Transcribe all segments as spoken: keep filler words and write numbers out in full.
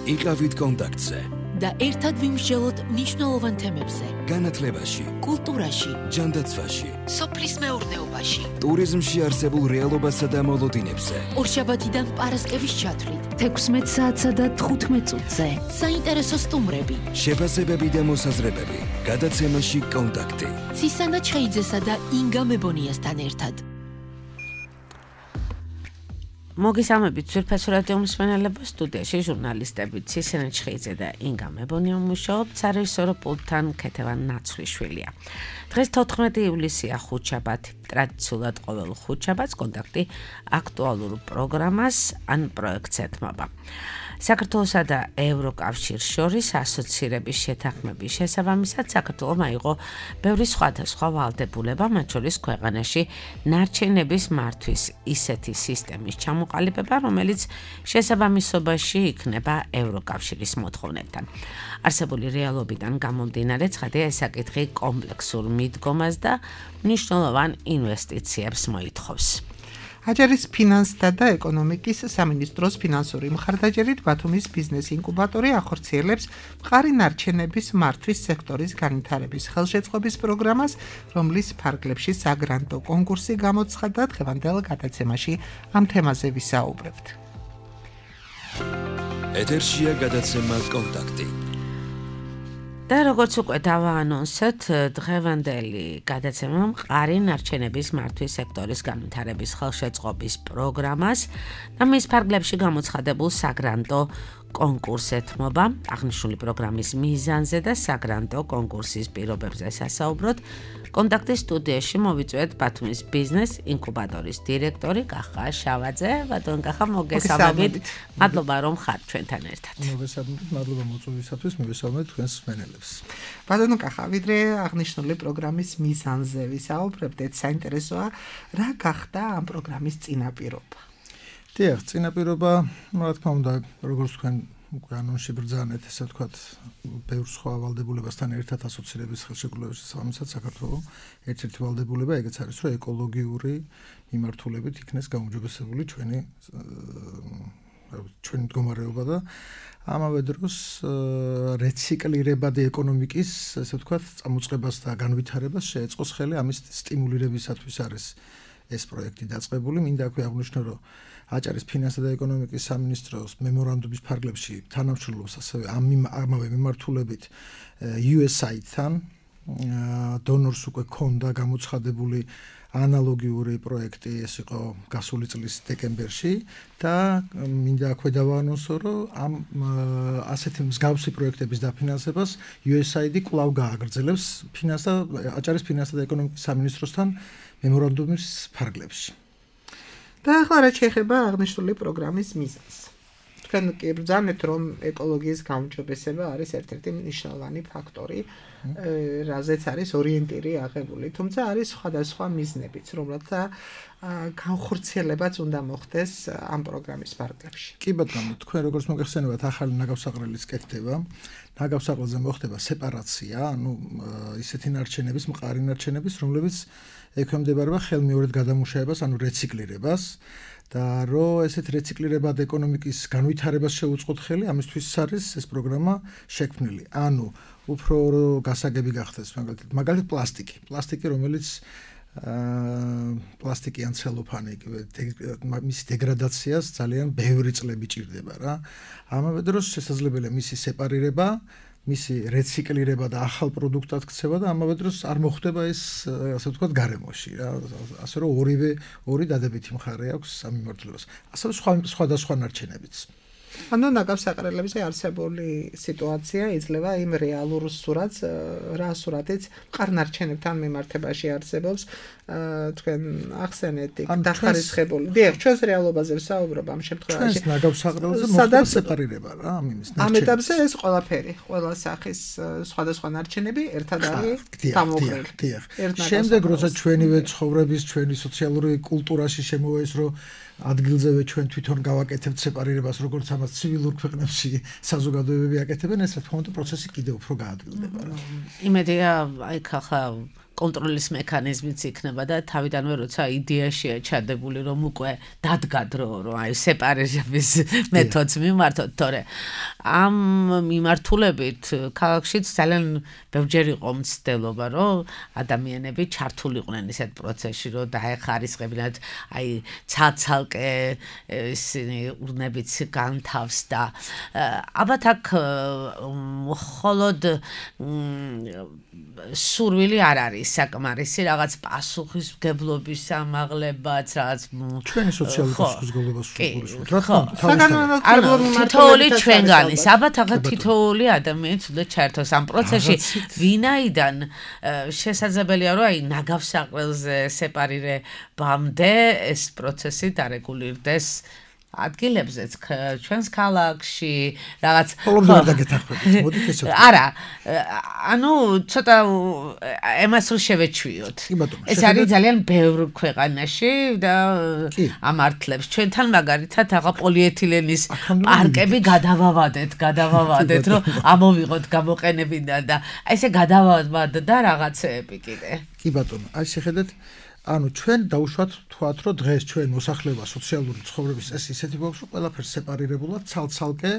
იყავით კონტაქტზე და ერთად ვიმსჯელოთ მნიშვნელოვან თემებზე. განათლებაში, კულტურაში, ჯანდაცვაში, სოფლის მეურნეობაში, ტურიზმში არსებულ რეალობასა და მოლოდინებზე. ორშაბათიდან პარასკევის ჩათვლით, თექვსმეტ საათსა და თხუთმეტ წუთზე. საინტერესო სტუმრები, შეფასებები და მოსაზრებები. გადაცემაში კონტაქტი. ცისანა ჩხეიძესა და ინგა მებონიასთან ერთად. მოგესალმებით ძვირფასო რადიო მსმენელებო, სტუდიაში ჟურნალისტები ცისანა ჩხეიძე და ინგა მებონია მუშაობთ, სარეჟისორო პულტთან ქეთევან ნაცვლიშვილია. დღეს თოთხმეტი ივლისია, ხუთშაბათი. ტრადიციულად ყოველ ხუთშაბათს კონტაქტი აქტუალურ პროგრამას ან პროექტს ეთმობა. საქართველოსა და ევროკავშირს შორის ასოცირების შეთანხმების შესაბამისად საქართველომ აიღო ბევრი სხვადასხვა ვალდებულება, მათ შორის ქვეყანაში ნარჩენების მართვის ისეთი სისტემის ჩამოყალიბება, რომელიც შესაბამისობაში იქნება ევროკავშირის მოთხოვნებთან. არსებული რეალობიდან გამომდინარე, ცხადია, ეს საკითხი კომპლექსურ მიდგომას და მნიშვნელოვან ინვესტიციებს მოითხოვს. აჯარის ფინანსთა და ეკონომიკის სამინისტროს ფინანსური მხარდაჭერით ბათუმის ბიზნეს ინკუბატორი ახორციელებს მყარი ნარჩენების მართვის სექტორის განვითარების ხელშეწყობის პროგრამას, რომლის ფარგლებში საგრანტო კონკურსი გამოცხადდა. დღევანდელ გადაცემაში ამ თემაზე ვისაუბრებთ. ეთერშია გადაცემა კონტაქტი. და როგორც უკვე დავაანონსეთ, დღევანდელი გადაცემა მყარი ნარჩენების მართვის სექტორის განვითარების ხელშეწყობის პროგრამას და მის ფარგლებში გამოცხადებულ საგრანტო კონკურსს ეთმობა. აღნიშნული პროგრამის მიზანზე და საგრანტო კონკურსის პირობებზე სასაუბროთ კონტაქტის სტუდიაში მოვიწვიეთ ბათუმის ბიზნეს ინკუბატორის დირექტორი კახა შავაძე. ბატონ კახა, მოგესალმებით. მადლობა რომ ხართ ჩვენთან ერთად. მოგესალმებით, მადლობა მოწვევისათვის, მოგესალმებით თქვენს მსმენელებს. ბატონ კახა, ვიდრე აღნიშნული პროგრამის მიზანზე ვისაუბრებდეთ, საინტერესოა, რა გახდა ამ პროგრამის წინაპირობა? დიახ, წინაპირობა, რა თქმა უნდა, როგორც თქვენ უკვე ანონსში ბრძანეთ, ესე ვთქვათ, ბევრ სხვა ვალდებულებასთან ერთად ასოცირების ხელშეკრულების შესაბამისად საქართველოს ერთ-ერთი ვალდებულება ეგეც არის, რომ ეკოლოგიური მიმართულებით იქნეს გაუმჯობესებული ჩვენი ჩვენი მდგომარეობა და ამავე დროს რეციკლირებადი ეკონომიკის, ესე ვთქვათ, წამოწყებას და განვითარებას შეეწყოს ხელი. ამის სტიმულირებისათვის არის ეს პროექტი დაწყებული. მინდა აქვე აღვნიშნო, რომ აჭარის ფინანსთა და ეკონომიკის სამინისტროს მემორანდუმის ფარგლებში თანამშრომლობს ასევე ამავე მიმართულებით იუ ეს აი-თან. დონორს უკვე ქონდა გამოცხადებული ანალოგიური პროექტი, ეს იყო გასული წლის დეკემბერში და მინდა აქვე დავაანონსო, რომ ამ ასეთი მსგავსი პროექტების დაფინანსებას იუ ეს აი-დი კვლავ გააგრძელებს ფინანსთა აჭარის ფინანსთა და ეკონომიკის სამინისტროსთან მემორანდუმის ფარგლებში. და ახლა რა შეეხება აღნიშნული პროგრამის მიზანს. თქვენ კი ბრძანეთ, რომ ეკოლოგიის გაუმჯობესება არის ერთ-ერთი მნიშვნელოვანი ფაქტორი, რაზეც არის ორიენტირი აღებული. თუმცა არის სხვადასხვა მიზნებიც, რომელთა განხორციელებაც უნდა მოხდეს ამ პროგრამის ფარგლებში. კი ბატონო, თქვენ როგორც მოგეხსენებათ, ახალი ნაგავსაყრელის კეთდება. ნაგავსაყრელზე მოხდება სეპარაცია, ანუ ისეთი ნარჩენების, მყარი ნარჩენების, რომლებიც ექვემდებარება ხელმეორედ გადამუშავებას, ანუ რეციკლირებას და რომ ესეთ რეციკლირებად ეკონომიკის განვითარებას შეუწყოთ ხელი, ამისთვის არის ეს პროგრამა შექმნილი. ანუ უფრო გასაგები გახდეს, მაგალითად, მაგალითად პლასტიკი. პლასტიკი, რომელიც პლასტიკი ან ცელოფანი, მის დეგრადაციას ძალიან ბევრი წლები ჭირდება რა. ამავე დროს შესაძლებელია მისი სეპარირება, მისი რეციკლირება და ახალ პროდუქტად ქცევა და ამავე დროს არ მოხდება ეს, ასე ვთქვათ, გარემოში რა. ასე რომ ორივე ორი დადებითი მხარე აქვს ამ მიმართულებას. ასევე სხვა სხვადასხვა ნარჩენებიც. ანუ ნაგავსაყრელებზე არსებული სიტუაცია იძლევა იმ რეალურ სურათს, რა სურათიც მყარ ნარჩენებთან მიმართებაში არსებობს, თქვენ ახსენეთ იქ დახარისხებული. დიახ, ჩვენს რეალობაზე ვსაუბრობ ამ შემთხვევაში. ჩვენს ნაგავსაყრელზე მოხდება სეპარირება რა, ამ იმის ნარჩენების. ამ ეტაპზე ეს ყველაფერი, ყველა სახის სხვადასხვა ნარჩენები ერთად არის დამოუკრული. დიახ, დიახ. შემდეგ როცა ჩვენივე ცხოვრების, ჩვენი სოციალური კულტურაში შემოვა ის, რომ ადგილზევე ჩვენ თვითონ გავაკეთებთ სეპარირებას, როგორც ამას ცივილურ ქვეყნებში საზოგადოებები აკეთებენ, ეს რა თქმა უნდა პროცესი კიდევ უფრო გაადგილდება რა. იმედია, აი ხახა კონტროლის მექანიზმიც იქნება და თავიდანვე როცა იდეაშია ჩადებული რომ უკვე დადგა დრო რომ აი სეპარირების მეთოდს მიმართოთ, თორე ამ მიმართულებით ქალაქშიც ძალიან ბევრჯერ იყო მცდელობა რომ ადამიანები ჩართულიყვნენ ისეთ პროცესში რომ დაეხარისხებინათ აი ცალ-ცალკე ისინი ურნებიც განთავსდა. ალბათ აქ მხოლოდ სურვილი არ არის საკმარისი რაღაც პასუხისმგებლობის ამაღლებაც რაღაც ჩვენი სოციალური პასუხისმგებლობა სულგურისხმობთ. რა თქმა უნდა, თითოეული ჩვენგანის, ალბათ ახლა თითოეული ადამიანი უნდა ჩაერთოს ამ პროცესში, ვინაიდან შესაძლებელია რომ აი ნაგავსაყრელზე სეპარირებამდე ეს პროცესი დარეგულირდეს ადგილებზეც ჩვენს ქალაქში რაღაც ხოლმე ვერ დაგეთახმებით. მოდით ესე. არა, ანუ ცოტა ემას რო შევეჩვიოთ. ეს არის ძალიან ბევრ ქვეყანაში და ამართლებს. ჩვენთან მაგალითად აღა პოლიეთილენის პარკები გადავავადეთ, გადავავადეთ, რომ ამოვიღოთ გამოყენებიდან და ესე გადავავადდა რაღაცეები კიდე. კი ბატონო, აი შეხედეთ ანუ ჩვენ დაუშვათ თქვათ რომ დღეს ჩვენ მოსახლეობა სოციალური ცხოვრების ეს ისეთი გვაქვს რომ ყველაფერს სეპარირებულად ცალ-ცალკე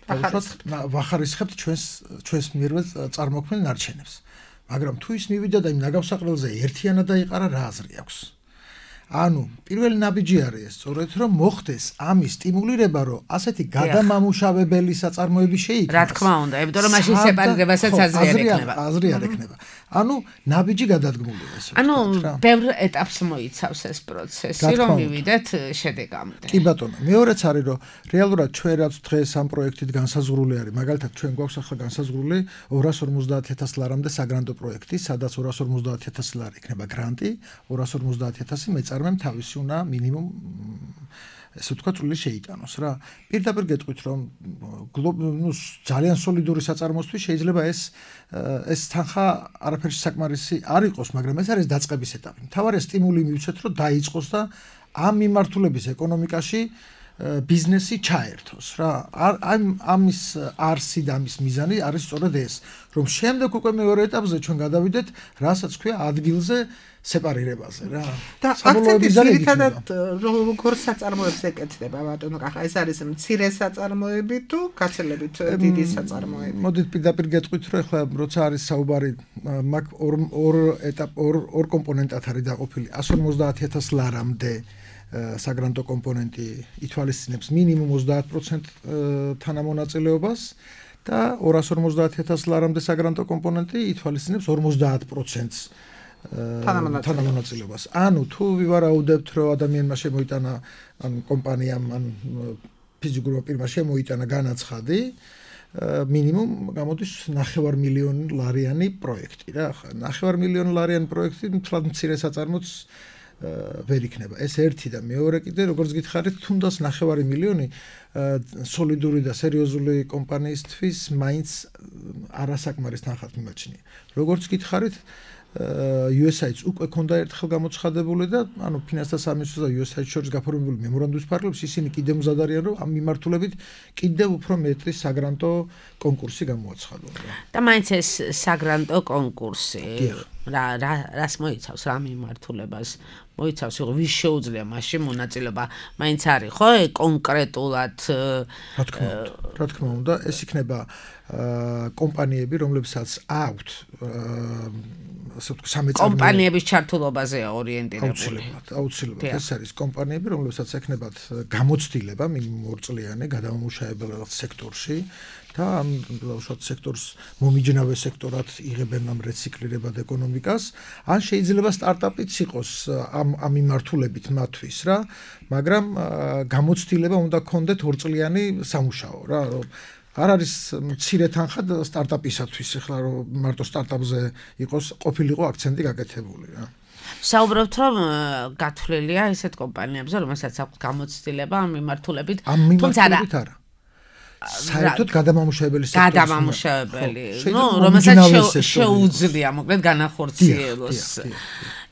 დაუშვათ ვახარისხებთ ჩვენს ჩვენს მიერვე წარმოქმნილ ნარჩენებს. მაგრამ თუ ის მივიდა და იმ ნაგავსაყრელზე ერთიანად დაიყარა რა აზრი აქვს? ანუ პირველი ნაბიჯი არის ეს სწორედ რომ მოხდეს ამის სტიმულირება რომ ასეთი გადამამუშავებელი საწარმოები შეიქმნას. რა თქმა უნდა, იმიტომ რომ მაშინ სეპარირებასაც აზრი არ ექნება. აზრი არ ექნება. ანუ ნაბიჯი გადადგმულია ესე. ანუ ბევრ ეტაპს მოიცავს ეს პროცესი, რომ მივიდეთ შედეგამდე. კი ბატონო, მეორეც არის რომ რეალურად ჩვენ რაც დღეს ამ პროექტით განსაზღვრული არის, მაგალითად ჩვენ გვაქვს ახლა განსაზღვრული ორას ორმოცდაათ ათასი ლარამდე საგრანტო პროექტი, სადაც ორას ორმოცდაათ ათასი ლარი იქნება გრანტი, ორას ორმოცდაათ ათასი მეწარმემ თავისი უნდა მინიმუმ ესე ვთქვათ, სული შეიტანოს რა. პირდაპირ გეტყვით რომ ნუ ძალიან სოლიდური საწარმოსთვის შეიძლება ეს ეს თანხა არაფერში საკმარისი არ იყოს, მაგრამ ეს არის დაწყების ეტაპი. მთავარია სტიმული მივცეთ რომ დაიწყოს და ამ მიმართულების ეკონომიკაში ბიზნესი ჩაერთოს რა. ამ ამის არსი და ამის მიზანი არის სწორედ ეს, რომ შემდეგ უკვე მეორე ეტაპზე ჩვენ გადავიდეთ, რასაც ქვია ადგილზე სეპარირებაზე რა. და აქცენტი ძირითადად როგორ საწარმოებს ეკეთება ბატონო კახა, ეს არის მცირე საწარმოები თუ გაცილებით დიდი საწარმოები? მოდით პირდაპირ გეტყვით რომ ახლა როცა არის საუბარი მაგ ორ ორ ეტაპ ორ ორ კომპონენტად არის დაყოფილი εκατს ორმოცდაათი ათასი ლარამდე საგრანტო კომპონენტი ითვალისწინებს მინიმუმ ოცდაათ პროცენტს თანამონაწილეობას და ორას ორმოცდაათი ათასი ლარამდე საგრანტო კომპონენტი ითვალისწინებს ორმოცდაათ პროცენტს თანამონაწილეობას. ანუ თუ ვივარაუდებთ რომ ადამიანმა შემოიტანა ან კომპანიამ ან ფიზიკურმა პირმა შემოიტანა განაცხადი, მინიმუმ გამოდის ნახევარ მილიონი ლარიანი პროექტი რა. ნახევარ მილიონი ლარიანი პროექტი თლად მცირე საწარმოც ვერ იქნება. ეს ერთი და მეორე კიდე როგორც გითხარით, თუნდაც ნახევარი მილიონი სოლიდური და სერიოზული კომპანიისთვის მაინც არასაკმარის თანხად მიმაჩნია. როგორც გითხარით, იუ ეს აი-ს უკვე ქონდა ერთხელ გამოცხადებული და ანუ ფინანსთა სამინისტროს და იუ ეს აი-ს შორის გაფორმებული მემორანდუმის ფარგლებში ისინი კიდევ მზად არიან რომ ამ მიმართულებით კიდევ უფრო მეტი საგრანტო კონკურსი გამოაცხადონ. და მაინც ეს საგრანტო კონკურსი რა რა რას მოიცავს რა მიმართულებას მოიცავს, რომ ვის შეუძლია მაშინ მონაწილეობა, მაინც არის ხო კონკრეტულად რა თქმა უნდა, რა თქმა უნდა, ეს იქნება კომპანიები, რომლებსაც აქვთ ასე ვთქვათ, სამეწარმოო კომპანიების ჩართულობაზეა ორიენტირებული. აუცილებლად, აუცილებლად ეს არის კომპანიები, რომლებსაც ექნებათ გამოცდილება მინიმუმ ორ წლიანი გადამამუშავებელ სექტორში და ამ უშუალოდ სექტორს მომიჯნავე სექტორად იღებენ ამ რეციკლირებად ეკონომიკას, ან შეიძლება სტარტაპიც იყოს ამ ამ მიმართულებით მათთვის რა, მაგრამ გამოცდილება უნდა ქონდეთ ორ წლიანი სამუშაო რა, რომ არ არის მცირე თანხა სტარტაპისათვის, ეხლა რომ მარტო სტარტაპზე იყოს ყოფილიყო აქცენტი გაკეთებული რა. საუბრობთ რომ გათვლილია ესეთ კომპანიებზე, რომელსაც აქვს გამოცდილება ამ მიმართულებით, თუმცა არა. საერთოდ გადამამუშავებელი სექტორი. გადამამუშავებელი, ნუ რომელსაც შეუძლია მოკლედ განახორციელოს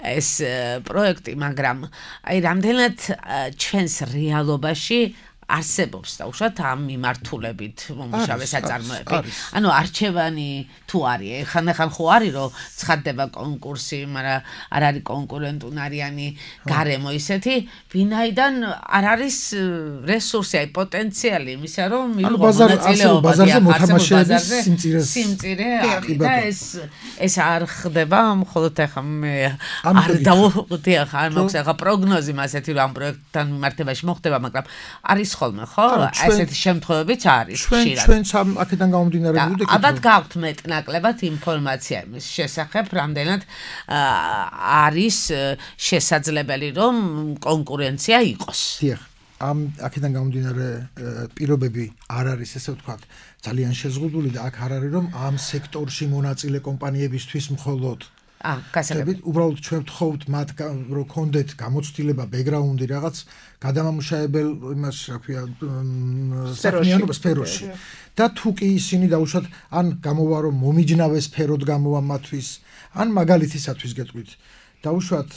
ეს პროექტი, მაგრამ აი რამდენად ჩვენს რეალობაში არსებობს და უშუალოდ ამ მიმართულებით მომუშავე საწარმოები. ანუ არჩევანი თუ არის, ხან-ხან ხო არის რომ ცხადდება კონკურსი, მაგრამ არ არის კონკურენტუნარიანი გარემო ისეთი, ვინაიდან არ არის რესურსი, აი პოტენციალი იმისა, რომ მიიღო მონაწილეობა ბაზარზე მოთამაშეების სიმწირეს. სიმწირე არის და ეს ეს არ ხდება, მხოლოდ ახლა მე არ დავუხდი ახლა არ მაქვს ახლა პროგნოზი მასეთი რომ ამ პროექტთან მიმართებაში მოხდება, მაგრამ არის ხოლმე ხო? ესეთი შემთხვევებიც არის ხშირად. ჩვენ ჩვენ აქედან გამომდინარე ვიდექით. ალბათ გაქვთ მეტნაკლებად ინფორმაცია იმის შესახებ, რამდენად არის შესაძლებელი რომ კონკურენცია იყოს. დიახ. ამ აქედან გამომდინარე პირობები არ არის ესე ვთქვათ ძალიან შეზღუდული და აქ არ არის რომ ამ სექტორში მონაწილე კომპანიებისთვის მხოლოდ ა გასაგებია უბრალოდ ჩვენ ვთხოვთ მათ რომ კონდეთ გამოცდილება ბექგრაუნდი რაღაც გადამამუშავებელ იმას რა ქვია საქმიანობა სფეროში და თუ კი ისინი დაუშვათ ან გამოვა რომ მომიჯნავე სფეროდ გამოვა მათთვის ან მაგალითისათვის გეტყვით დაუშვათ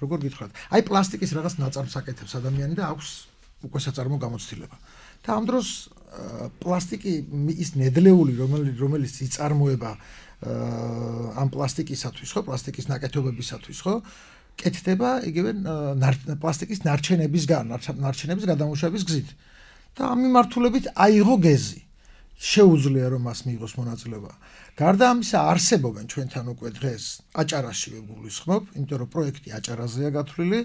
როგორ გითხრათ აი პლასტიკის რაღაც ნაწარმს აკეთებს ადამიანი და აქვს უკვე საწარმო გამოცდილება და ამ დროს პლასტიკი ის ნედლეული რომელიც რომელიც იწარმოება ამ პლასტიკისათვის ხო პლასტიკის ნაკეთობებისათვის ხო კეთდება იგივე პლასტიკის ნარჩენების ნარჩენების გადამუშავების გზით და ამ მიმართულებით აიღო გეზი შეუძლია რომ მას მიიღოს მონაწილეობა გარდა ამისა არსებობენ ჩვენთან უკვე დღეს აჭარაშივე გულისხმობ იმიტომ რომ პროექტი აჭარაზეა გათვლილი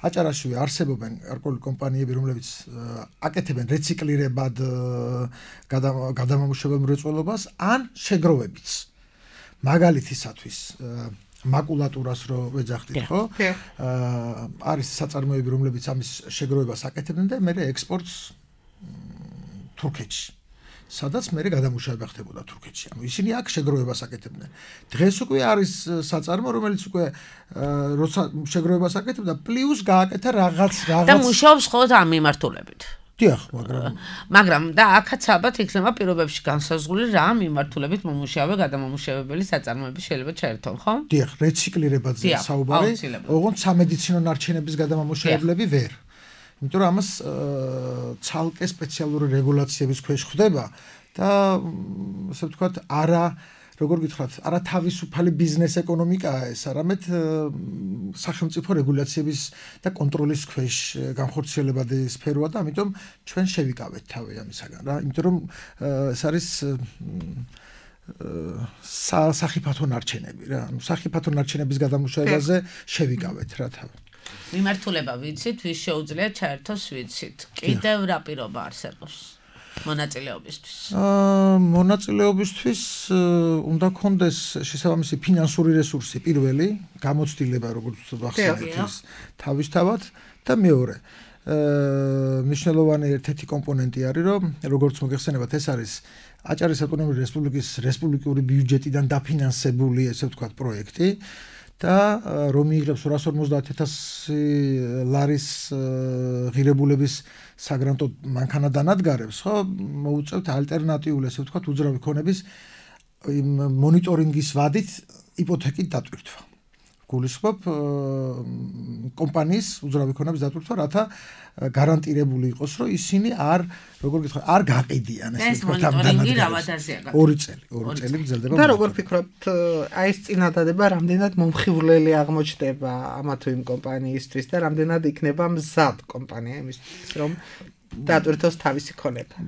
აჭარაშივე არსებობენ გარკვეული კომპანიები რომლებიც აკეთებენ რეციკლირებად გადამამუშავებელ მრეწველობას ან შეგროვებიც მაგალითისათვის მაკულატურას რო ვეძახდით ხო არის საწარმოები რომლებიც ამის შეგროვებას აკეთებენ და მე ექსპორტს თურქეთში სადაც მე გადამუშავება ხდებოდა თურქეთში. ანუ ისინი აქ შეგროვებას აკეთებდნენ. დღეს უკვე არის საწარმო, რომელიც უკვე როცა შეგროვებას აკეთებდა, პლუს გააკეთა რაღაც რაღაც და მუშაობს ხოლმე ამ მიმართულებით. დიახ, მაგრამ მაგრამ და აქაც ალბათ იქნება პირობებში განსაზღვრული რა მიმართულებით მომუშავე გადამამუშავებელი საწარმოები შეიძლება ჩაერთონ, ხო? დიახ, რეციკლირებაზე საუბარი, ოღონდ სამედიცინო ნარჩენების გადამამუშავებლები ვერ. იმიტომ რომ ამას ცალკე სპეციალური რეგულაციების ქვეშ ხდება და ასე ვთქვათ, არა, როგორ გითხრათ, არა თავისუფალი ბიზნეს ეკონომიკაა ეს, არამედ სახელმწიფო რეგულაციების და კონტროლის ქვეშ განხორციელებადი სფეროა და ამიტომ ჩვენ შევიკავეთ თავი ამისაგან რა, იმიტომ რომ ეს არის სახიფათო ნარჩენები რა, ანუ სახიფათო ნარჩენების გადამუშავებაზე შევიკავეთ რა თავი. მიმართულება ვიცით, ვის შეუძლია ჩაერთოს ვიცით. კიდევ რა პირობა არსებობს მონაწილეობისთვის? აა მონაწილეობისთვის უნდა კონდეს შესაბამისი ფინანსური რესურსი პირველი, გამოცდილება როგორც ვახსენეთ ის თავისთავად და მეორე აა მნიშვნელოვანი ერთ-ერთი კომპონენტი არის, რომ როგორც მოგეხსენებათ, ეს არის აჭარის ავტონომიური რესპუბლიკის რესპუბლიკური ბიუჯეტიდან დაფინანსებული, ესე ვთქვათ, პროექტი. და რომ იღებს ორას ორმოცდაათ ათასი ლარის ღირებულების საგრანტო მანქანა დანადგარებს, ხო, მოუწევთ ალტერნატიული, ესე ვთქვათ, უძრავი ქონების მონიტორინგის ვადით იპოთეკით დატვირთვა. გულისხმობ კომპანიის უძრავი ქონების დატვირთვა, რათა გარანტირებული იყოს, რომ ისინი არ, როგორ გითხრათ, არ გაყიდიან, ესე ვთქვათ, ამ დანადგარებს. ორი წელი, ორი წელი გრძელდება. და როგორ ფიქრობთ, აი ეს წინადადება რამდენად მომხიბვლელი აღმოჩნდება ამა თუ იმ კომპანიისთვის და რამდენად იქნება მზად კომპანია იმისთვის, რომ დატვირთოს თავისი ქონება.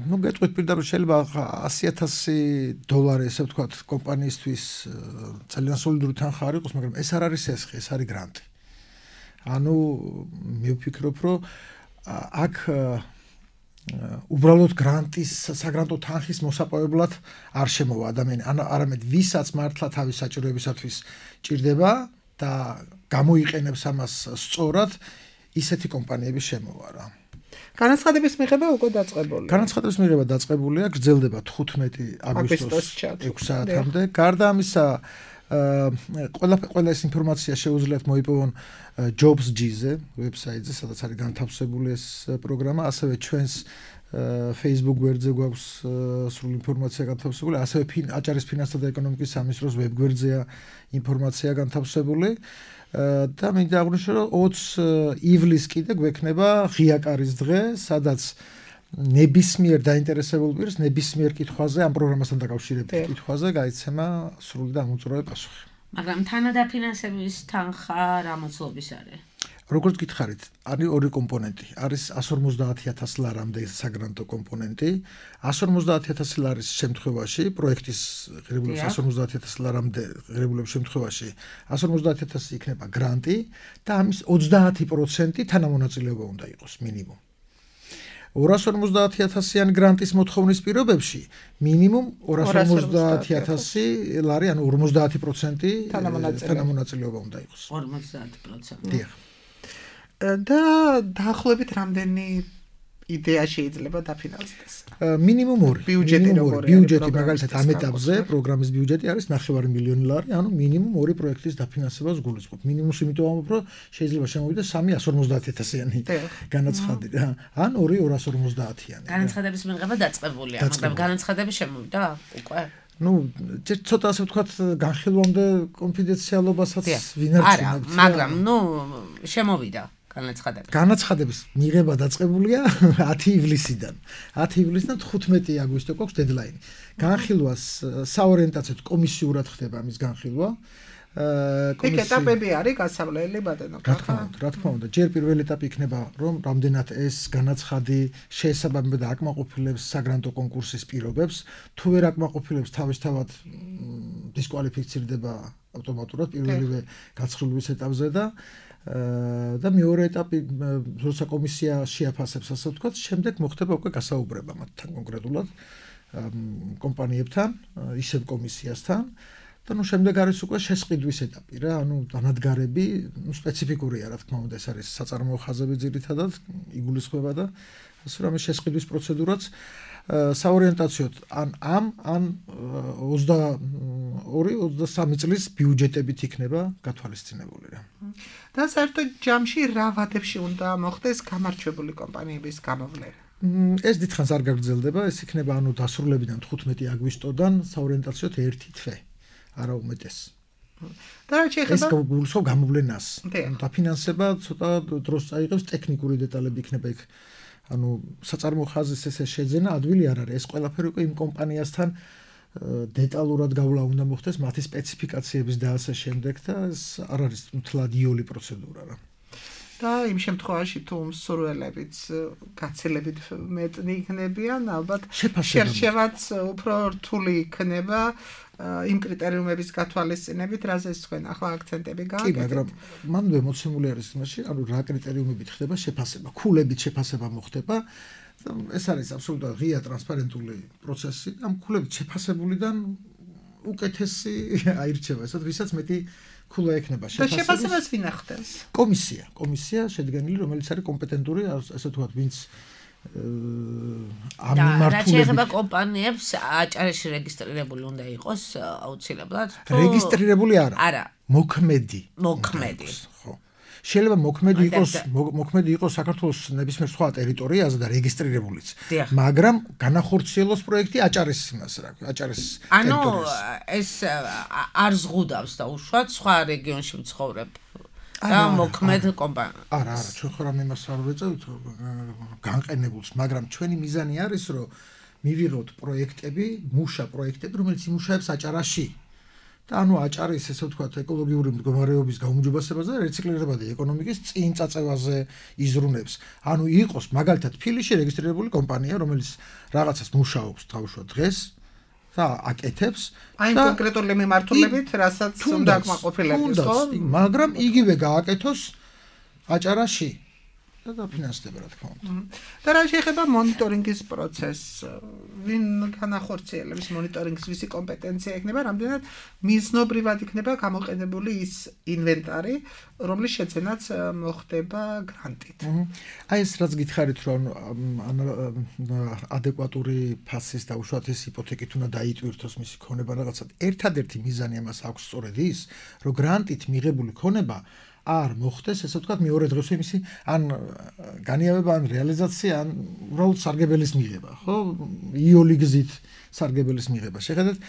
ნუ გეტყვით პირდაპირ შეიძლება ასი ათასი დოლარი, ესე ვთქვათ, კომპანიისთვის ძალიან სოლიდური თანხა არ იყოს, მაგრამ ეს არ არის ესხი, ეს არის გრანტი. ანუ მე ვფიქრობ, რომ აქ უბრალოდ გრანტის საგრანტო თანხის მოსაპოვებლად არ შემოვა ადამიანი, არამედ ვისაც მართლა თავის საჭიროებისათვის ჭირდება და გამოიყენებს ამას სწორად, ისეთი კომპანიები შემოვა რა. განაცხადების მიღება უკვე დაწყებულია. განაცხადების მიღება დაწყებულია, გრძელდება თხუთმეტი აგვისტოს ექვსი საათამდე. გარდა ამისა, ყველა ყველა ეს ინფორმაცია შეუძლიათ მოიპოვონ Jobs.gz ვებსაიტზე, სადაც არის განთავსებული ეს პროგრამა, ასევე ჩვენს Facebook გვერდზე გვაქვს სრული ინფორმაცია განთავსებული, ასევე აჭარის ფინანსთა და ეკონომიკის სამინისტროს ვებ გვერდზეა ინფორმაცია განთავსებული და მინდა აღვნიშნო, რომ ოცი ივლისს კიდე გვექნება ღია კარის დღე, სადაც ნებისმიერ დაინტერესებულ პირს ნებისმიერ კითხვაზე ამ პროგრამასთან დაკავშირებით კითხვაზე გაიცემა სრული და ამოწურავე პასუხი. მაგრამ თანადაფინანსების თანხა რა მოცულობის არის? როგორც გითხარით, არის ორი კომპონენტი. არის εκατს ორმოცდაათი ათასი ლარამდე საგრანტო კომპონენტი. εκατს ორმოცდაათი ათასი ლარის შემთხვევაში, პროექტის ღირებულების εκατს ორმოცდაათი ათასი ლარამდე ღირებულების შემთხვევაში, εκατს ორმოცდაათი ათასი იქნება გრანტი და ამის ოცდაათი პროცენტი თანამონაწილეობა უნდა იყოს მინიმუმ. ორას ორმოცდაათი ათასიან გრანტის მოთხოვნის პირობებში მინიმუმ ორას ორმოცდაათი ათასი ლარი, ანუ ორმოცდაათი პროცენტი თანამონაწილეობა უნდა იყოს. ორმოცდაათი პროცენტი. დიახ. და დაახლოებით რამდენი იდეა შეიძლება დაფინანსდეს? მინიმუმ ორი. ბიუჯეტი როგორია? ბიუჯეტი მაგალითად ამ ეტაპზე პროგრამის ბიუჯეტი არის ნახევარი მილიონი ლარი, ანუ მინიმუმ ორი პროექტის დაფინანსებას გულისხმობ. მინიმუმს იმიტომ ამბობ, რომ შეიძლება შემოვიდეს სამი εκατს ორმოცდაათი ათასიანი განაცხადი რა, ან ორი ორას ორმოცდაათიანი. განაცხადების მიღება დაწყებულია, მაგრამ განაცხადები შემოვიდა უკვე? ну, ცოტა ასე ვთქვათ, განხილვამდე კონფიდენციალობასაც ვინარჩუნებთ. არა, მაგრამ ну, შემოვიდა განაცხადები. განაცხადების მიღება დაწყებულია ათი ივლისიდან. ათი ივლისიდან თხუთმეტი აგვისტო გვაქვს დედლაინი. განხილვას საორიენტაციოდ კომისიურად ხდება ამის განხილვა. იქ ეტაპები არის გასავლელი ბატონო. რა თქმა უნდა, რა თქმა უნდა, ჯერ პირველი ეტაპი იქნება, რომ რამდენად ეს განაცხადი შეესაბამება და აკმაყოფილებს საგრანტო კონკურსის პირობებს, თუ ვერ აკმაყოფილებს, თავისთავად დისკვალიფიცირდება ავტომატურად პირველივე გაცხრილების ეტაპზე და და მეორე ეტაპი, როცა კომისია შეაფასებს, ასე ვთქვათ, შემდეგ მოხდება უკვე გასაუბრება მათთან კონკრეტულად კომპანიებთან, ისევ კომისიასთან. და ნუ შემდეგ არის უკვე შესყიდვის ეტაპი რა, ანუ დანადგარები, ნუ სპეციფიკურია რა თქმა უნდა, ეს არის საწარმოო ხაზები ძირითადად იგულისხმება და ასე რომ ეს შესყიდვის პროცედურაც საორიენტაციოდ ან ამ ან ოცდაორი ოცდასამი წლის ბიუჯეტებით იქნება გათვალისწინებული რა. და საერთოდ ჯამში რა ვადებში უნდა მოხდეს გამარჯვებული კომპანიების გამოვლენა? ეს დიდხანს არ გაგრძელდება, ეს იქნება ანუ დასრულებიდან თხუთმეტი აგვისტოდან საორიენტაციოდ ერთი თვე. არა უმეტეს. და რა შეიძლება? ეს გულისხმობს გამოვლენას. დაფინანსება ცოტა დროს წაიღებს, ტექნიკური დეტალები იქნება იქ. ანუ საწარმოო ხაზის ესე შეძენა ადვილი არ არის. ეს ყველაფერი უკვე იმ კომპანიასთან დეტალურად გავლა უნდა მოხდეს, მათი სპეციფიკაციების და ასე შემდეგ და ეს არ არის მთლად იული პროცედურა რა. და იმ შემთხვევაში თუ მსურველებიც გაცილებით მეტნი იქნებიან, ალბათ შერჩევაც უფრო რთული იქნება იმ კრიტერიუმების გათვალისწინებით, რაზეც თქვენ ახლა აქცენტები გააკეთეთ. კი, მაგრამ მანდ მოცემული არის იმაში, ანუ რა კრიტერიუმებით ხდება შეფასება, ქულებით შეფასება მოხდება. ეს არის აბსოლუტურად ღია ტრანსპარენტული პროცესი. ამ ქულებით შეფასებულიდან უკეთესი აირჩევა, ესეთ ვისაც მეტი ქულა ექნება შეფასებას. და შეფასებას ვინ ახდენს? კომისია, კომისია შედგენილი, რომელიც არის კომპეტენტური, ასე ვთქვათ, ვინც ამ მიმართულებით. რა შეიძლება კომპანიებს აჭარაში რეგისტრირებული უნდა იყოს აუცილებლად? რეგისტრირებული არა. არა. მოქმედი. მოქმედი. ხო. შეიძლება მოქმედი იყოს, მოქმედი იყოს საქართველოს ნებისმიერ სხვა ტერიტორიაზე და რეგისტრირებულიც. მაგრამ განახორციელოს პროექტი აჭარის იმას რა, აჭარის ტერიტორიაზე. ანუ ეს არ ზღუდავს და უშუალოდ სხვა რეგიონში მცხოვრებ და მოქმედ კომპანია. არა, არა, ჩვენ ხომ იმას არ ვეწევთ განყენებულს, მაგრამ ჩვენი მიზანი არის, რომ მივიღოთ პროექტები, მუშა პროექტები, რომელიც იმუშავებს აჭარაში. და ანუ აჭარის ესე ვთქვათ ეკოლოგიური მდგომარეობის გაუმჯობესებაზე და რეციკლირებადი ეკონომიკის წინ წაწევაზე იზრუნებს. ანუ იყოს მაგალითად ფილიში რეგისტრირებული კომპანია, რომელიც რაღაცას მუშაობს თავშუა დღეს და აკეთებს აი კონკრეტული მიმართულებით, რასაც უნდა აკმაყოფილებს, ხო? მაგრამ იგივე გააკეთოს აჭარაში და დაფინანსდება რა თქმა უნდა. და რა შეიძლება მონიტორინგის პროცესს ვინ განახორციელებს მონიტორინგს, ვისი კომპეტენცია იქნება, რამდენად მიზნობრივად იქნება გამოყენებული ის ინვენტარი, რომლის შეძენაც მოხდება გრანტით. აი ეს რაც გითხარით, რომ ადეკვატური ფასის და უშუალოდ ეს იპოთეკით უნდა დაიტვირთოს მისი ქონება რაღაცა. ერთადერთი მიზანი ამას აქვს სწორედ ის, რომ გრანტით მიღებული ქონება არ მოხდეს, ესე ვთქვათ, მეორე დღეს იმისი ან განიავება, ან რეალიზაცია, ან უბრალოდ სარგებელის მიღება, ხო? იოლი გზით სარგებელის მიღება. შეხედეთ,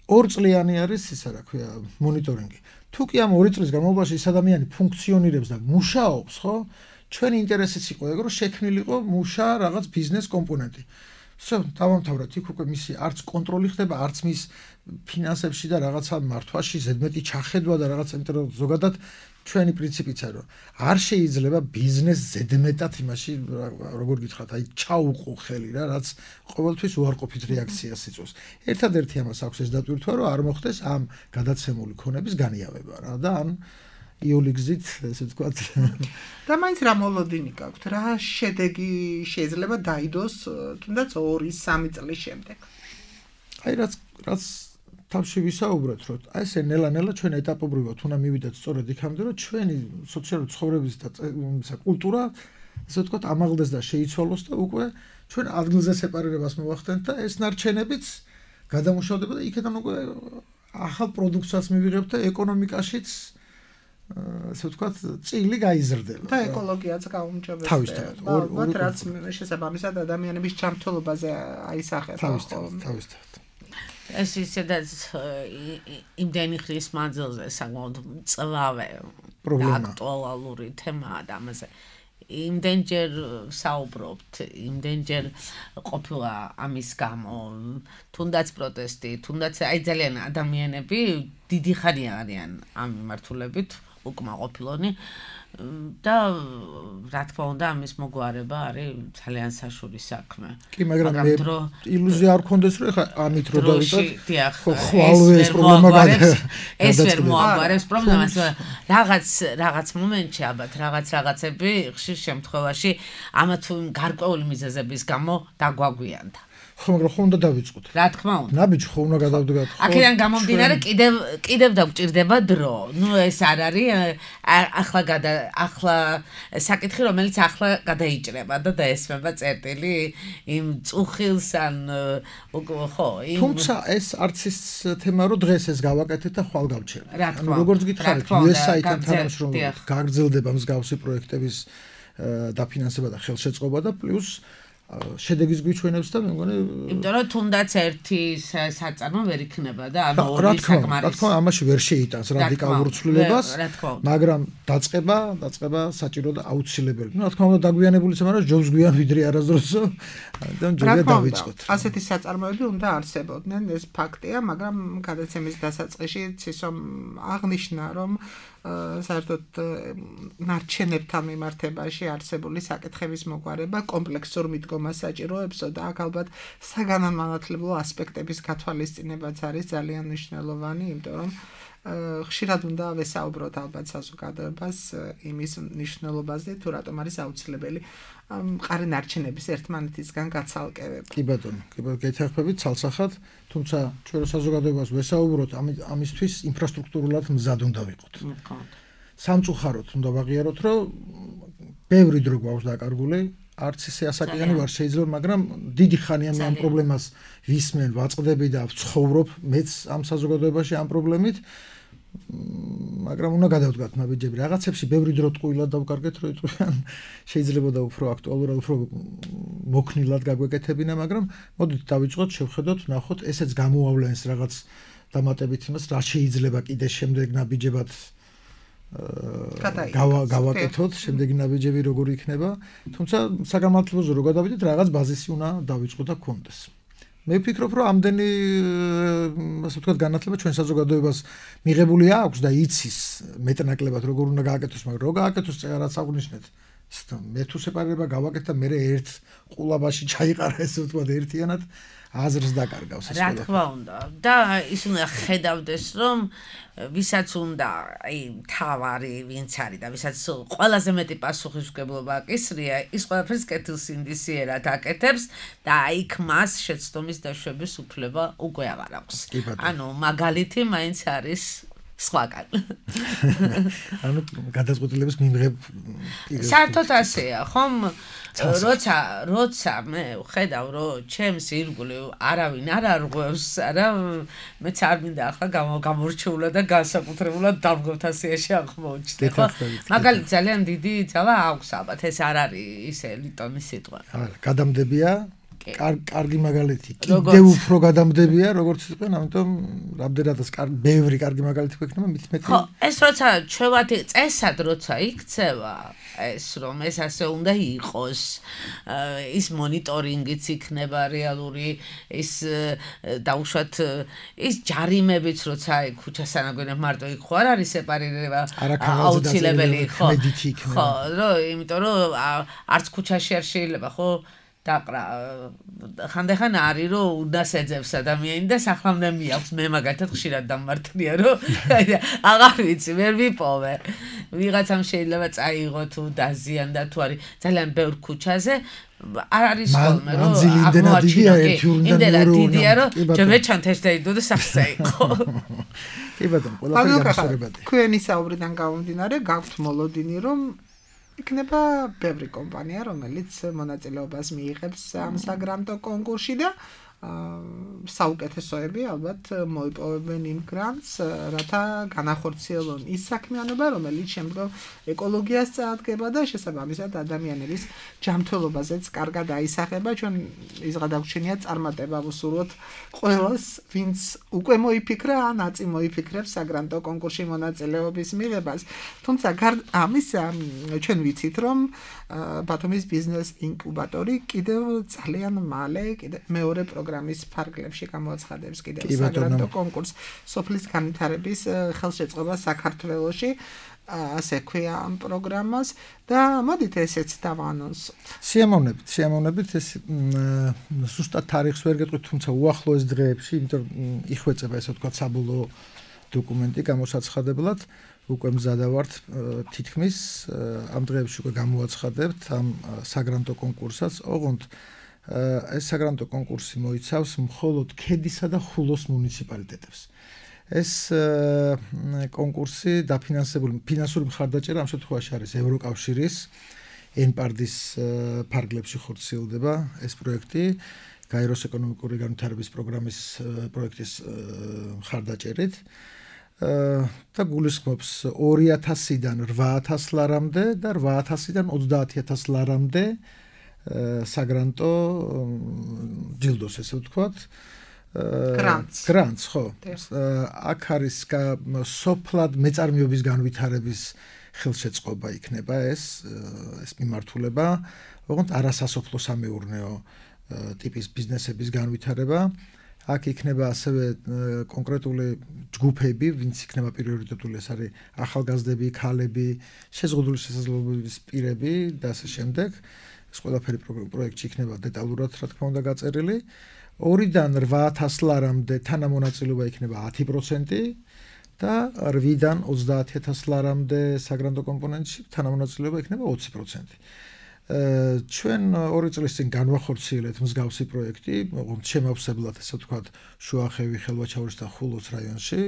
ორწლიანი არის ისა რა ქვია, მონიტორინგი. თუ კი ამ ორი წლის განმავლობაში ის ადამიანი ფუნქციონირებს და მუშაობს, ხო? ჩვენი ინტერესიც იყო ეგ, რომ შექმნილიყო მუშა რაღაც ბიზნეს კომპონენტი. всё, დავამთავრეთ, იქ უკვე მისი არც კონტროლი ხდება, არც მის ფინანსებში და რაღაცა მართვაში ზედმეტი ჩახედვა და რაღაცა, იმიტომ რომ ზოგადად ჩვენი პრინციპიც არის, რომ არ შეიძლება ბიზნეს ზედმეტად იმაში, როგორ გითხრათ, აი ჩაუყო ხელი რა, რაც ყოველთვის უარყოფით რეაქციას იწვევს. ერთადერთი ამას აქვს ეს დატვირთვა, რომ არ მოხდეს ამ გადაცემული ქონების განიავება რა და ან იოლი გზით, ესე ვთქვათ. და მაინც რა მოლოდინი გაქვთ, რა შედეგი შეიძლება დაიდოს თუნდაც ორი სამი წლის შემდეგ. აი რაც რაც თავში ვისაუბრეთ, რომ აი ესე ნელა-ნელა ჩვენ ეტაპობრივად უნდა მივიდეთ სწორედ იქამდე, რომ ჩვენი სოციალური ცხოვრების და კულტურა, ესე ვთქვათ, ამაღლდეს და შეიცვალოს და უკვე ჩვენ ადგილზე სეპარირებას მოვახდენთ და ეს ნარჩენებიც გადამუშავდება და იქიდან უკვე ახალ პროდუქციას მივიღებთ და ეკონომიკაშიც ასე ვთქვათ, წილი გაიზრდება. და ეკოლოგიაც გაუმჯობესდება. თავისთავად. ალბათ რაც შესაბამისად ადამიანების ჯანმრთელობაზე აისახება. თავისთავად, თავისთავად. ეს ისედაც იმდენი ხნის მანძილზე საკმაოდ მწვავე პრობლემა. აქტუალური თემაა და ამაზე იმდენჯერ საუბრობთ, იმდენჯერ ყოფილა ამის გამო, თუნდაც პროტესტი, თუნდაც აი ძალიან ადამიანები დიდი ხანია არიან ამ მიმართულებით უკმაყოფილონი და რა თქმა უნდა ამის მოგვარება არის ძალიან საშუალო საქმე. კი, მაგრამ მე ილუზია არ გქონდეს, რომ ეხა ამით რო დავიწყოთ. ხო, ხვალე ეს პრობლემა გადაწყდება. ეს ვერ მოაგვარებს პრობლემას, რაღაც რაღაც მომენტში ალბათ რაღაც რაღაცები ხშირ შემთხვევაში ამა თუ გარკვეული მიზეზების გამო დაგვაგვიანდა. ხო, მაგრამ ხო უნდა დავიწყოთ. რა თქმა უნდა. ნაბიჯ ხო უნდა გადავდგათ. აქედან გამომდინარე კიდევ კიდევ დაგვჭირდება დრო. ნუ ეს არ არის ახლა გადა ახლა საკითხი, რომელიც ახლა გადაიჭრება და დაესმება წერტილი იმ წუხილს ან ხო, იმ თუმცა ეს არც ის თემა, რომ დღეს ეს გავაკეთეთ და ხვალ გავჩერდ. ანუ როგორც გითხარით, იუ ეს აი-თან თანამშრომლობით გაგრძელდება მსგავსი პროექტების დაფინანსება და ხელშეწყობა და პლუს შედეგის გვიჩვენებს და მე მგონი იმიტომ რომ თუნდაც ერთი საწარმო ვერ იქნება და ანუ ორი საკმარის რა თქმა უნდა ამაში ვერ შეიტანს რადიკალურ ცვლილებას მაგრამ დაწყება დაწყება საჭირო და აუცილებელი ну რა თქმა უნდა დაგვიანებული მაგრამ ჯობს გვიან ვიდრე არასდროსო და ჯობია დავიწყოთ ასეთი საწარმოები უნდა არსებობდნენ ეს ფაქტია მაგრამ გადაცემის დასაწყისში ცისომ აღნიშნა რომ საერთოდ ნარჩენებთან მიმართებაში არსებული საკითხების მოგვარება კომპლექსურ მიდგომას საჭიროებსო და აქ ალბათ საგანმანათლებლო ასპექტების გათვალისწინებაც არის ძალიან მნიშვნელოვანი, იმიტომ რომ ხშირად უნდა ვესაუბროთ ალბათ საზოგადოებას იმის მნიშვნელობაზე, თუ რატომ არის აუცილებელი მყარი ნარჩენების ერთმანეთისგან გაცალკევება. კი ბატონო, კი ბატონო, გეთახმებით ცალსახად, თუმცა ჩვენ საზოგადოებას ვესაუბროთ ამისთვის ინფრასტრუქტურულად მზად უნდა ვიყოთ. სამწუხაროდ უნდა ვაღიაროთ, რომ ბევრი დრო გვაქვს დაკარგული, არც ისე ასაკიანი ვარ შეიძლება, მაგრამ დიდი ხანია მე ამ პრობლემას ვისმენ, ვაწყდები და ვცხოვრობ მეც ამ საზოგადოებაში ამ პრობლემით. მაგრამ უნდა გადავდგათ ნაბიჯები რაღაცებში ბევრი დრო ტყუილად დავკარგეთ რომ იტყვიან შეიძლება და უფრო აქტუალურად უფრო მოქნილად გაგვეკეთებინა მაგრამ მოდით დავიწყოთ შევხედოთ ვნახოთ ესეც გამოავლენს რაღაც დამატებით იმას რა შეიძლება კიდე შემდეგ ნაბიჯებად გავაკეთოთ შემდეგი ნაბიჯები როგორი იქნება თუმცა საგანმანათლებლოზე რო გადავიდეთ რაღაც ბაზისი უნდა დავიწყოთ და გქონდეს მე ვფიქრობ რომ ამდენი ასე ვთქვათ განათლება ჩვენ საზოგადოებას მიღებული აქვს და იცის მეტნაკლებად როგორ უნდა გააკეთოს მაგრამ რო გააკეთოს რაღაც აღნიშნეთ მე თუ სეპარირება გავაკეთე და მე ერთ ყულაბაში ჩაიყარა ესე ვთქვათ ერთიანად აზრს დაკარგავს ეს რა თქმა უნდა და ის უნდა ხედავდეს რომ ვისაც უნდა აი თავარი ვინც არის და ვისაც ყველაზე მეტი პასუხისმგებლობა აკისრია ის ყველაფერს კეთილსინდისიერად აკეთებს და იქ მას შეცდომის დაშვების უფლება უკვე აღარ აქვს ანუ მაგალითი მაინც არის სხვაგან ანუ გადაწყვეტილების მიმღებ საერთოდ ასეა ხომ როცა როცა მე ხედავ რომ ჩემს ირგვლივ არავინ არ არღვევს არა მეც არ მინდა ახლა გამორჩეულად და განსაკუთრებულად დამგოთასიაში აღმოჩნდე ხო მაგალითად ძალიან დიდი ძალა აქვს ალბათ ეს არ არის ისე ლიტონის სიტყვა არა გადამდებია კარგი მაგალითი კიდევ უფრო გადამდებია როგორც იყვნენ ამიტომ რამდენადაც კარგი ბევრი კარგი მაგალითი გვექნება მით მეტი ხო ეს როცა ჩვევათი წესად როცა იქცევა ეს რომ ეს ასე უნდა იყოს ის მონიტორინგიც იქნება რეალური ის დაუშვათ ის ჯარიმებიც როცა აი ქუჩასანაგვენებ მარტო იქ ხო არ არის სეპარირება აუცილებელი ხო ხო რომ იმიტომ რომ არც ქუჩაში არ შეიძლება ხო დაყრა ხანდახან არის რომ უნდას ეძებს ადამიანი და სახლამდე მიაქვს მე მაგათად ხშირად დამმართლია რომ აღარ ვიცი ვერ ვიპოვე ვიღაცამ შეიძლება წაიღო თუ დაზიანდა თუ არის ძალიან ბევრ ქუჩაზე არ არის ხოლმე რომ აღმოაჩინო იმდენად დიდია რომ ჯერ ჩანთეშ დაიდო და სახსა იყო კი ბატონო ყველაფერი განსხვავებადი თქვენი საუბრიდან გამომდინარე გაქვთ მოლოდინი რომ იქნება ბევრი კომპანია რომელიც მონაწილეობას მიიღებს ამ საგრანტო კონკურსში და საუკეთესოები ალბათ მოიპოვებენ იმ გრანტს რათა განახორციელონ ის საქმიანობა რომელიც შემდგომ ეკოლოგიას წაადგება და შესაბამისად ადამიანების ჯანმრთელობაზეც კარგად აისახება ჩვენ ის გადაგვჩენია წარმატება ვუსურვოთ ყველას ვინც უკვე მოიფიქრა ან აწი მოიფიქრებს საგრანტო კონკურსში მონაწილეობის მიღებას თუმცა გარდა ამისა ჩვენ ვიცით რომ ბათუმის ბიზნეს ინკუბატორი კიდევ ძალიან მალე კიდევ მეორე პროგრამის ფარგლებში გამოაცხადებს კიდევ საგრანტო კონკურსს სოფლის განვითარების ხელშეწყობა საქართველოში ასე ქვია ამ პროგრამას და მოდით ესეც დავანონსოთ. სიამოვნებით, სიამოვნებით ეს ზუსტად თარიღს ვერ გეტყვით, თუმცა უახლოეს დღეებში, იმიტომ იხვეწება ესე ვთქვათ საბოლოო დოკუმენტი გამოსაცხადებლად, უკვე მზადა ვართ თითქმის ამ დღეებში უკვე გამოაცხადებთ ამ საგრანტო კონკურსსაც, ოღონდ ეს საგრანტო კონკურსი მოიცავს მხოლოდ ქედისა და ხულოს მუნიციპალიტეტებს. ეს კონკურსი დაფინანსებული ფინანსური მხარდაჭერა ამ შემთხვევაში არის ევროკავშირის ენპარდის ფარგლებში ხორციელდება ეს პროექტი გაეროს ეკონომიკური განვითარების პროგრამის პროექტის მხარდაჭერით და გულისხმობს ორი ათასიდან რვა ათას ლარამდე და რვა ათასიდან ოცდაათი ათას ლარამდე საგრანტო ჯილდოს ესე ვთქვათ გრანტს გრანტს ხო აქ არის სოფლად მეწარმეობის განვითარების ხელშეწყობა იქნება ეს ეს მიმართულება ოღონდ არასასოფლო სამეურნეო ტიპის ბიზნესების განვითარება აქ იქნება ასევე კონკრეტული ჯგუფები ვინც იქნება პრიორიტეტული ეს არის ახალგაზრდები ქალები შეზღუდული შესაძლებლობების პირები და ასე შემდეგ ეს ყველაფერი პროექტში იქნება დეტალურად რა თქმა უნდა გაწერილი ორიდან რვა ათას ლარამდე თანამონაწილეობა იქნება ათი პროცენტი და რვიდან ოცდაათი ათას ლარამდე საგრანტო კომპონენტში თანამონაწილეობა იქნება ოცი პროცენტი. ჩვენ ორი წლის წინ განვახორციელეთ მსგავსი პროექტი, ოღონდ შემავსებლად ასე ვთქვათ, შუახევი, ხელვაჩაურის და ხულოს რაიონში,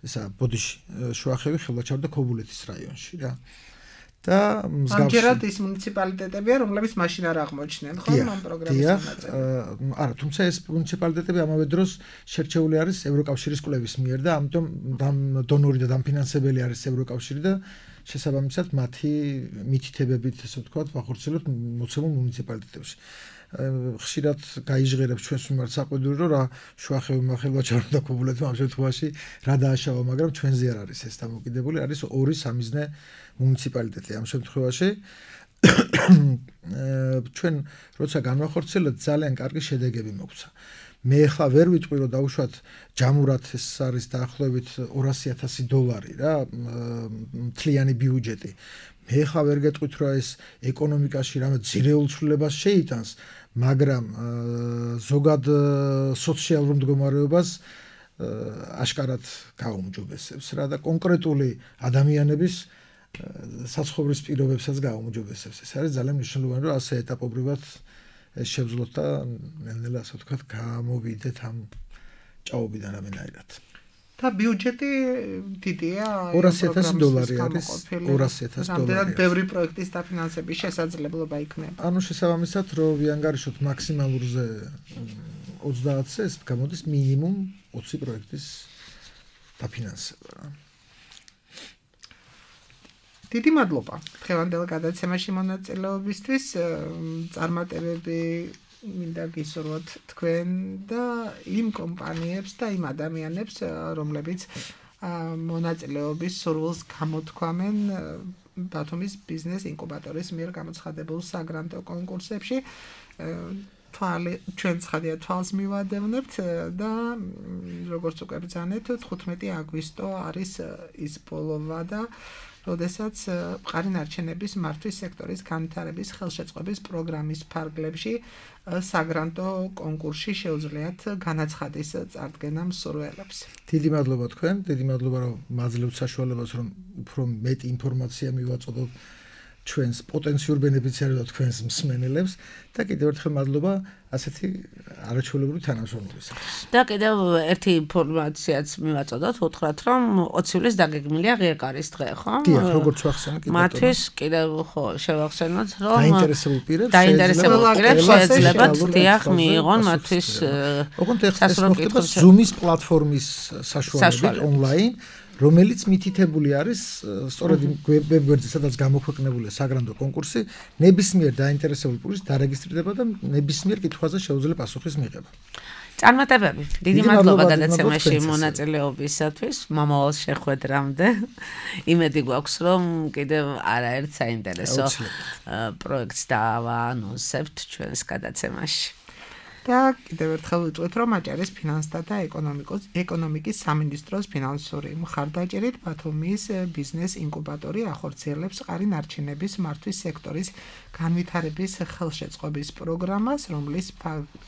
ესა ბოდიში, შუახევი, ხელვაჩაური და ქობულეთის რაიონში რა. და მსგავსი ამჯერად ის მუნიციპალიტეტებია, რომლებიც მაშინ არ აღმოჩნდნენ, ხო, ამ პროგრამის მონაწილე. არა, თუმცა ეს მუნიციპალიტეტები ამავე დროს შერჩეული არის ევროკავშირის კვლევის მიერ და ამიტომ დონორი და დამფინანსებელი არის ევროკავშირი და შესაბამისად მათი მითითებებით ესე ვთქვათ, ვახორციელოთ მოცემულ მუნიციპალიტეტებში. ხშირად გაიჟღერებს ჩვენს მიმართ საყვედური რომ რა შუახევი ხელვაჩაური და ქობულეთი ამ შემთხვევაში რა დააშავა, მაგრამ ჩვენზე არ არის ეს დამოკიდებული, არის ორი სამიზნე მუნიციპალიტეტი ამ შემთხვევაში. ჩვენ როცა განვახორციელეთ ძალიან კარგი შედეგები მოგვცა. მე ახლა ვერ ვიტყვი რომ დაუშვათ ჯამურად ეს არის დაახლოებით ორასი ათასი დოლარი რა მთლიანი ბიუჯეტი. მე ახლა ვერ გეტყვით რომ ეს ეკონომიკაში რამე ძირეულ ცვლილებას შეიტანს, მაგრამ ზოგად სოციალურ მდგომარეობას აშკარად გაუმჯობესებს რა და კონკრეტული ადამიანების საცხოვრის პირობებსაც გაუმჯობესებს. ეს არის ძალიან მნიშვნელოვანი რომ ასე ეტაპობრივად ეს შევძლოთ და ნელ-ნელა ასე ვთქვათ გამოვიდეთ ამ ჭაობიდან რამენაირად. და ბიუჯეტი დიდია ორასი ათასი დოლარი არის ორასი ათასი დოლარი. რამდენად ბევრი პროექტის დაფინანსების შესაძლებლობა იქნება. ანუ შესაბამისად რომ ვიანგარიშოთ მაქსიმალურზე ოცდაათზე ეს გამოდის მინიმუმ ოცი პროექტის დაფინანსება რა. დიდი მადლობა დღევანდელ გადაცემაში მონაწილეობისთვის. წარმატებები მინდა გისურვოთ თქვენ და იმ კომპანიებს და იმ ადამიანებს, რომლებიც მონაწილეობის სურვილს გამოთქვამენ ბათუმის ბიზნეს ინკუბატორის მიერ გამოცხადებულ საგრანტო კონკურსებში. თვალი ჩვენ ცხადია თვალს მივადევნებთ და როგორც უკვე ბრძანეთ თხუთმეტი აგვისტო არის ის ბოლოვა და როდესაც მყარი ნარჩენების მართვის სექტორის განვითარების ხელშეწყობის პროგრამის ფარგლებში საგრანტო კონკურსში შეუძლიათ განაცხადის წარდგენა მსურველებს. დიდი მადლობა თქვენ, დიდი მადლობა რომ მაძლევთ საშუალებას რომ უფრო მეტი ინფორმაცია მივაწოდოთ ჩვენს პოტენციურ ბენეფიციარებს და თქვენს მსმენელებს და კიდევ ერთხელ მადლობა ასეთი არაჩვეულებრივი თანამშრომლობისთვის. და კიდევ ერთი ინფორმაციაც მივაწოდოთ, უთხრათ რომ ოცი ივლისს დაგეგმილია ღიაკარის დღე, ხო? დიახ, როგორც ვახსენე კიდევ. მათთვის კიდევ ხო შევახსენოთ, რომ დაინტერესებულ პირებს დაინტერესებულ პირებს შეეძლებათ დიახ მიიღონ მათთვის ოღონდ ეს მოხდება Zoom-ის პლატფორმის საშუალებით ონლაინ, რომელიც მითითებული არის სწორედ იმ ვებგვერდზე, სადაც გამოქვეყნებულია საგრანტო კონკურსი, ნებისმიერ დაინტერესებულ პირს დარეგისტრირდება და ნებისმიერ კითხვაზე შეუძლია პასუხის მიღება. წარმატებები. დიდი მადლობა გადაცემაში მონაწილეობისათვის, მომავალ შეხვედრამდე. იმედი გვაქვს, რომ კიდევ არაერთ საინტერესო პროექტს დავაანონსებთ ჩვენს გადაცემაში. და კიდევ ერთხელ ვიტყვით, რომ აჭარის ფინანსთა და ეკონომიკის ეკონომიკის სამინისტროს ფინანსური მხარდაჭერით ბათუმის ბიზნეს ინკუბატორი ახორციელებს მყარი ნარჩენების მართვის სექტორის განვითარების ხელშეწყობის პროგრამას, რომლის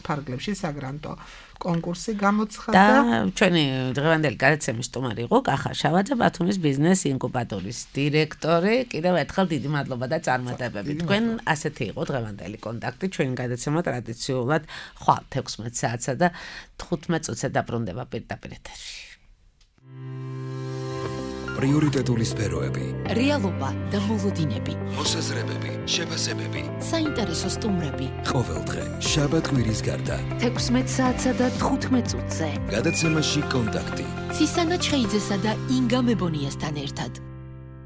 ფარგლებში საგრანტო კონკურსი გამოცხადდა. და ჩვენი დღევანდელი გადაცემის სტუმარი იყო კახა შავაძე, ბათუმის ბიზნეს ინკუბატორის დირექტორი. კიდევ ერთხელ დიდი მადლობა და წარმატებები. თქვენ ასეთი იყო დღევანდელი კონტაქტი. ჩვენი გადაცემა ტრადიციულად ხვალ თექვსმეტ საათსა და თხუთმეტ წუთზე დაბრუნდება პირდაპირ ეთერში. პრიორიტეტული სფეროები, რეალობა და მოლოდინები, მოსაზრებები, შეფასებები, საინტერესო სტუმრები. ყოველდღე შაბათ-კვირის გარდა თექვსმეტ საათსა და თხუთმეტ წუთზე. გადაცემაში კონტაქტი. ცისანა ჩხეიძესა და ინგა მებონიასთან ერთად.